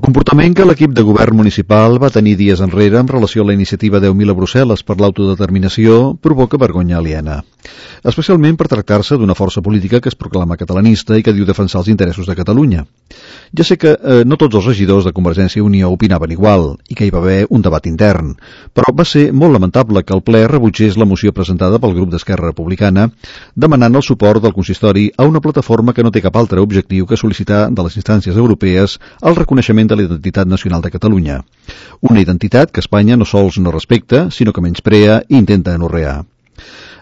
comportament que l'equip de govern municipal va tenir dies enrere en relació a la iniciativa 10.000 a Brussel·les per l'autodeterminació provoca vergonya aliena, especialment per tractar-se d'una força política que es proclama catalanista i que diu defensar els interessos de Catalunya. Ja sé que no tots els regidors de Convergència i Unió opinaven igual i que hi va haver un debat intern, però va ser molt lamentable que el ple rebutgés la moció presentada pel grup d'Esquerra Republicana demanant el suport del consistori a una plataforma que no té cap altre objectiu que sol·licitar de les instàncies europees el reconeixement de la identitat nacional de Catalunya. Una identitat que Espanya no sols no respecta, sinó que menysprea i intenta anorrear.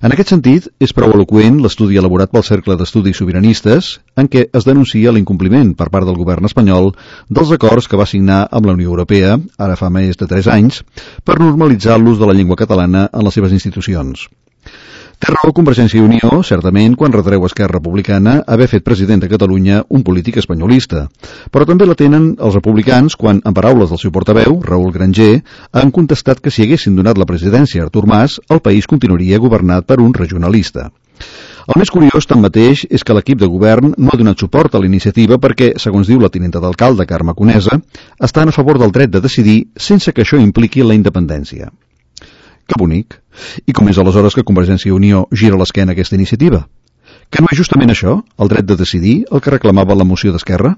En aquest sentit, és prou eloqüent l'estudi elaborat pel Cercle d'Estudis Sobiranistes en què es denuncia l'incompliment per part del govern espanyol dels acords que va signar amb la Unió Europea, ara fa més de 3 anys, per normalitzar l'ús de la llengua catalana en les seves institucions. Té raó Convergència i Unió, certament, quan retreu a Esquerra Republicana haver fet president de Catalunya un polític espanyolista, però també la tenen els republicans quan, en paraules del seu portaveu, Raül Granger, han contestat que si haguessin donat la presidència a Artur Mas, el país continuaria governat per un regionalista. El més curiós, tanmateix, és que l'equip de govern no ha donat suport a la iniciativa perquè, segons diu la tinenta d'alcalde Carme Conesa, estan a favor del dret de decidir sense que això impliqui la independència. Que bonic. I com és aleshores que Convergència i Unió gira l'esquena a aquesta iniciativa? Que no és justament això, el dret de decidir, el que reclamava la moció d'Esquerra?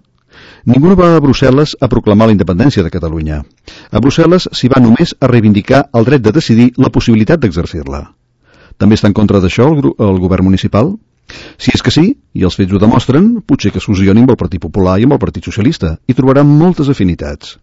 Ningú no va a Brussel·les a proclamar la independència de Catalunya. A Brussel·les s'hi va només a reivindicar el dret de decidir la possibilitat d'exercir-la. També està en contra d'això el govern municipal? Si és que sí, i els fets ho demostren, potser que es fusionin amb el Partit Popular i amb el Partit Socialista, i trobaran moltes afinitats.